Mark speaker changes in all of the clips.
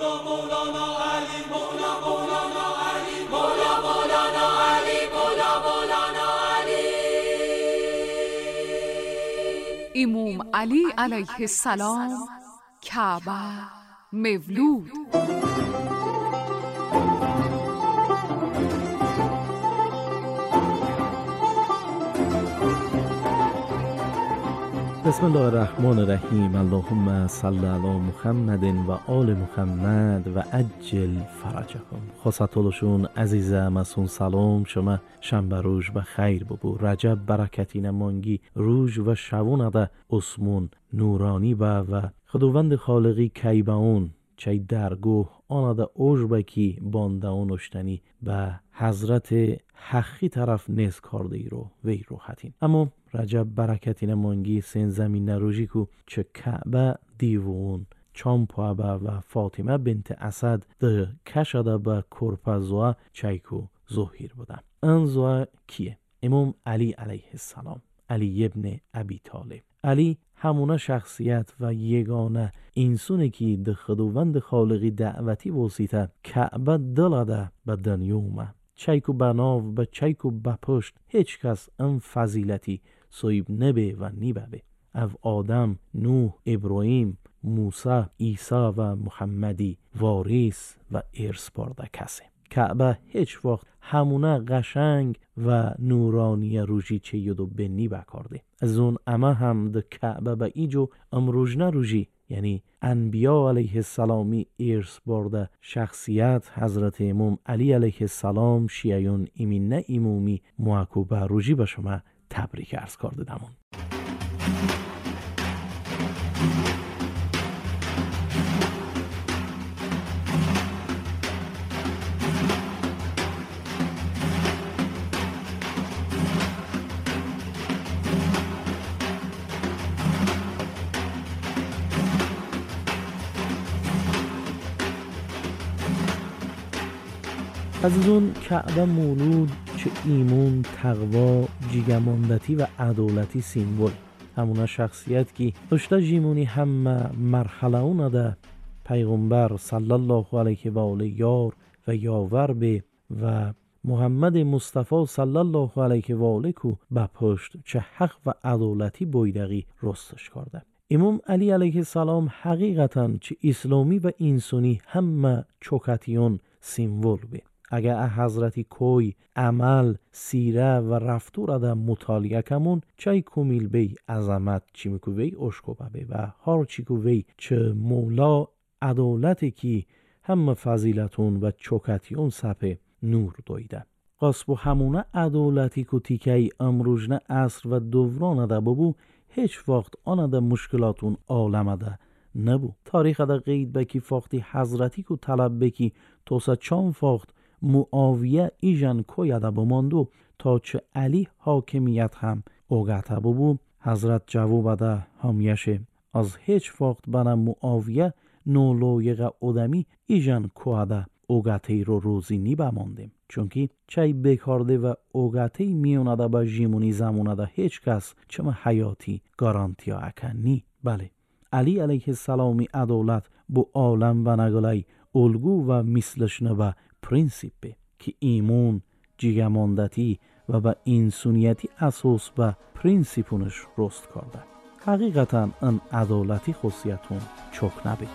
Speaker 1: مولا مولانا علی مولا مولانا علی مولا مولانا علی مولا مولانا علی.
Speaker 2: امام علی علیه السلام کعبه مولود.
Speaker 3: بسم الله الرحمن الرحیم. اللهم صل علی محمد و آل محمد و عجل فرجهم. خواستولشون عزیزم اسون سلام شما شنبه روز و خیر ببو. رجب برکتی نمانگی روز و شوون ده اسمون نورانی با و خداوند خالقی کی به اون چه درگوه آن ده اوج کی بانده اون اشتنی به حضرت حقی طرف نیز کارده ای رو وی روحتین. اما رجب برکتی نمانگی سین زمین نروژی کو چه کعبه دیوون چامپا و فاطمه بنت اسد ده کشده به کرپزوا چایکو ظهیر بوده. این زوا کیه؟ امام علی علیه السلام، علی ابن ابی طالب. علی همونه شخصیت و یگانه انسونه که ده خداوند خالقی دعوتی وسیطه کعبه دلده به دنیا اومد. چایکو بناو به چایکو بپشت هیچ کس این فضیلتی صاحب نبه و نیبه. او آدم، نوح، ابراهیم، موسی، عیسی و محمدی وارث و ارث برده کسه. کعبه هیچ وقت همونه قشنگ و نورانی روژی چه یدو بنی بکارده. از اون اما هم ده کعبه به ایجو امروز نروژی، یعنی انبیا علیه السلامی ارث برده شخصیت حضرت امام علی علیه السلام شیعیون ایمین نه امامی معکوبه روژی به شما تبریک عرض کرده دمون. عزیزون کعبه مولود چه ایمون، تقوا، جیگماندتی و عدالتی سیمبول. همونا شخصیت که داشته جیمونی همه مرحله اون ده پیغمبر صلی الله علیه و آله یار و یاور به و محمد مصطفی صلی الله علیه و آله کو به پشت چه حق و عدالتی بایدقی رستش کرده. امام علی علیه السلام حقیقتا چه اسلامی و انسانی همه چوکتیون سیمبول به. اگر حضرتی کوی، عمل، سیره و رفتار ده مطالعه کمون چای کمیل بی عظمت چی میکو وی اشکو بی و هر چی کو وی چه مولا عدالتی کی همه فضیلتون و چوکتیون سپه نور دویده. قصب و همونه عدالتی کو تیکی امروزنه عصر و دوران ده ببو هیچ وقت آن ده مشکلاتون عالم ده نبو. تاریخ ده قید بکی فاختی حضرتی کو طلب بکی توسا چان فاخت معاویه ایجن کویده بماندو تا چه علی حاکمیت هم اوگته ببو. حضرت جواب ده همیشه از هیچ وقت بنا معاویه نولایق ادمی ایجن کویده اوگته رو روزی نی بماندیم، چونکی چای بکارده و اوگته میونده با جیمونی زمونه ده هیچ کس چما حیاتی گارانتیا اکن نی. بله علی علیه السلامی عدالت بو عالم و نگلای الگو و مثلش نبا پرینسیپ به که ایمون، جیگماندتی و به انسانیتی اساس به پرینسیپونش رست کرده. حقیقتا این عدالتی خصیتون چک نبی.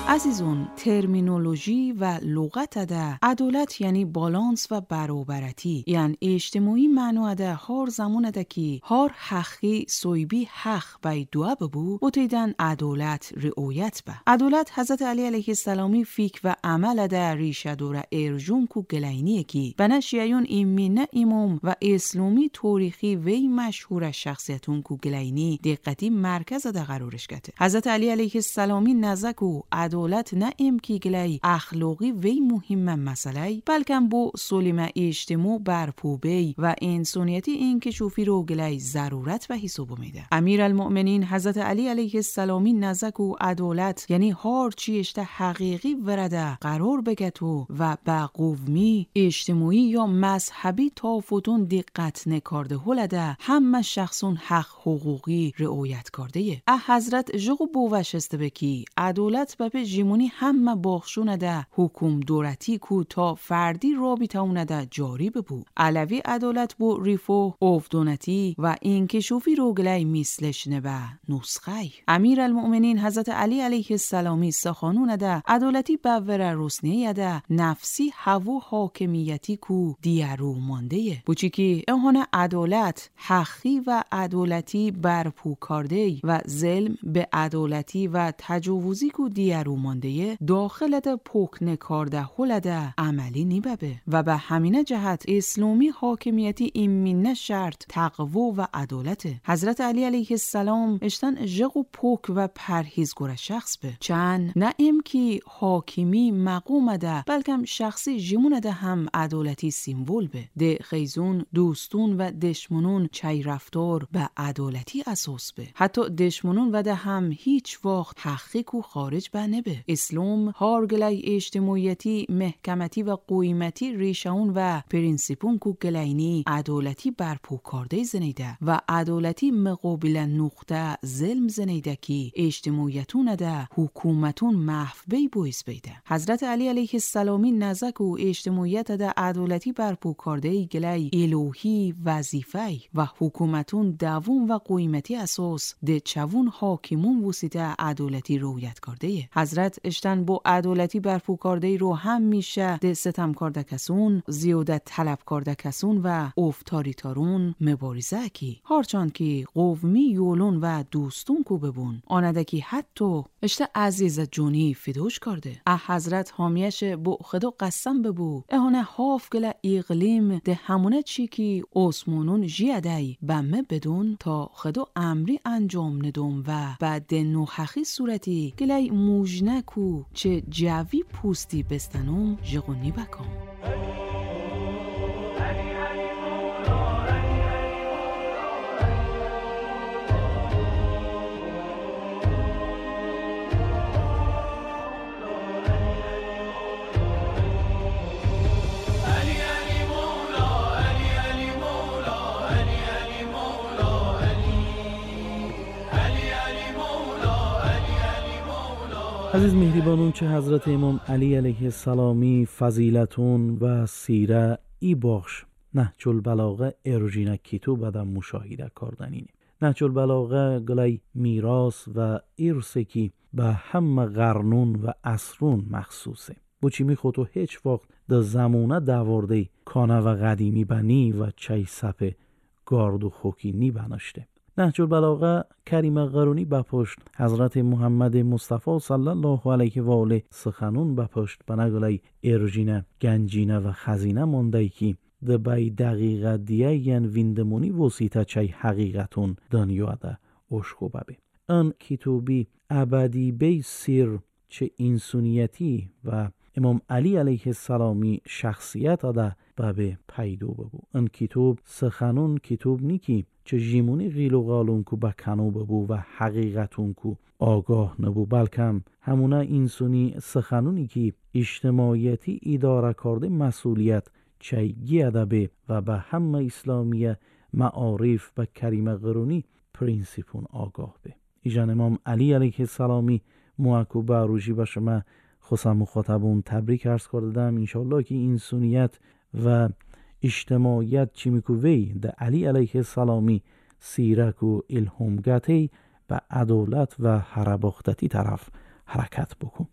Speaker 4: عزیزون ترمینولوژی و لغت ده عدالت یعنی بالانس و برابرتی، یعنی اجتماعی معنا ده هر زمان ده که هر حقی صویبی حق بای دعا ببو بوتیدن عدالت رعایت به. عدالت حضرت علی علیه السلامی فیک و عمل ده ریشه دوره ارجون کو گلینیه کی بنا شیعیون ایمینه امام و اسلامی تاریخی وی مشهور شخصیتون کو گلینی دقتی مرکز ده قرارش گته. حضرت علی علیه السلامی نزکو عدالت عدالت نه امکی گلی اخلاقی وی مهم مسئله، بلکم بو سلیم اجتماع برپوبی و انسانیتی انکشافی رو گلی ضرورت و حساب میده. امیرالمؤمنین حضرت علی علیه السلامی نزک و عدالت یعنی هر چی اشته حقیقی ورده قرار بگتو و به قومی اجتماعی یا مذهبی تافتون دقت نکارده هلده همه شخصون حق حقوقی رعایت کرده. حضرت جغ بوشسته بکی عدالت به جیمونی همه باخشونه ده حکوم دورتی کو تا فردی رابطه ده جاری ببو. علوی عدالت بو ریفو افدونتی و انکشافی رو گلی مثلش نبه نسخه. امیرالمؤمنین حضرت علی علیه السلامی سخانون ده عدالتی بور رسنیه ده نفسی هوا حاکمیتی کو دیارو مانده. بوچی که اهانه عدالت حقی و عدالتی برپو کرده و ظلم به عدالتی و تجاوزی کو دیارو مانده داخل ده پوک نکارده هلده عملی نیببه و به همینه جهت اسلامی حاکمیتی ایمینه شرط تقوا و عدالت. حضرت علی علیه السلام اشتن جغ و پوک و پرهیزگار شخص به چند نه ام کی حاکمی مقوم ده بلکم شخصی جیمونه ده هم عدالتی سیمبول به ده خیزون دوستون و دشمنون چای رفتار به عدالتی اساس به حتی دشمنون و ده هم هیچ وقت حقی کو خارج به نبه. اسلام هارگلی اجتماعیتی محکمتی و قیمتی ریشون و پرینسیپون کو گلینی عدالتی برپو کرده زنیده و عدالتی مقابل نقطه ظلم زنیده کی اجتماعیتون ده حکومتون محو بی بویس بیده. حضرت علی علیه السلامی نزک و اجتماعیت ده عدالتی برپو کرده گلی الوهی وظیفه و حکومتون دوام و قیمتی اساس ده چوون حاکمون وسیطه عدالتی رویت کرده. حضرت اشتن با عدالتی برپو کرده رو هم میشه ده ستم کرده کسون زیاده طلب کرده کسون و افتاریتارون مبارزه کی هرچند که قومی یولون و دوستون کو ببون آنده کی حتی اشته عزیز جونی فدوش کرده. حضرت حامیش با خدا قسم ببو اهانه هاف گله اقلیم ده همونه چی کی آسمانون جیادی بمه بدون تا خدا امری انجام ندم و بعد نوحخی صورتی گله موجنه کو چه جوی پوستی بستنم جغونی بکم.
Speaker 3: عزیز مهربانون چه حضرت امام علی علیه السلامی فضیلتون و سیره ای باخش نهج البلاغه ارجینه کتاب ادم مشاهده کردنینه. نهج البلاغه گلای میراث و ارثی که به همه قرنون و عصرون مخصوصه. بوچی می خودو هیچ وقت در زمونه دوارده کانه و قدیمی بنی و چای سپه گارد و خوکی نی بناشته. نهج البلاغه کریم قرونی بپشت حضرت محمد مصطفی صلی الله علیه و آله سخنون بپشت بنگلای ارجینه گنجینه و خزینه مانده که دبی دقیقه دیگن ویندمونی وسیطه چای حقیقتون دنیا ده اشکو ببه. ان کتابی ابدی بی سیر چه انسانیتی و امام علی علیه السلامی شخصیت ده ببه پیدو ببو. ان کتاب سخنون کتاب نیکی چه جیمونی غیل و غالون کو بکنو ببو و حقیقتون کو آگاه نبو، بلکم همونه انسانی سخنونی که اجتماعیتی اداره کرده مسئولیت چه گیده و به همه اسلامی معارف و کریم قرونی پرینسیپون آگاه به. ایجان امام علی علیه السلامی موکو باروشی با شما خصم مخاطبون تبریک عرض کردم. انشالله که انسانیت و اجتماعیت چی میکوی ده علی علیه السلامی سیرک و الهامگتی به عدالت و هرباختتی طرف حرکت بکن.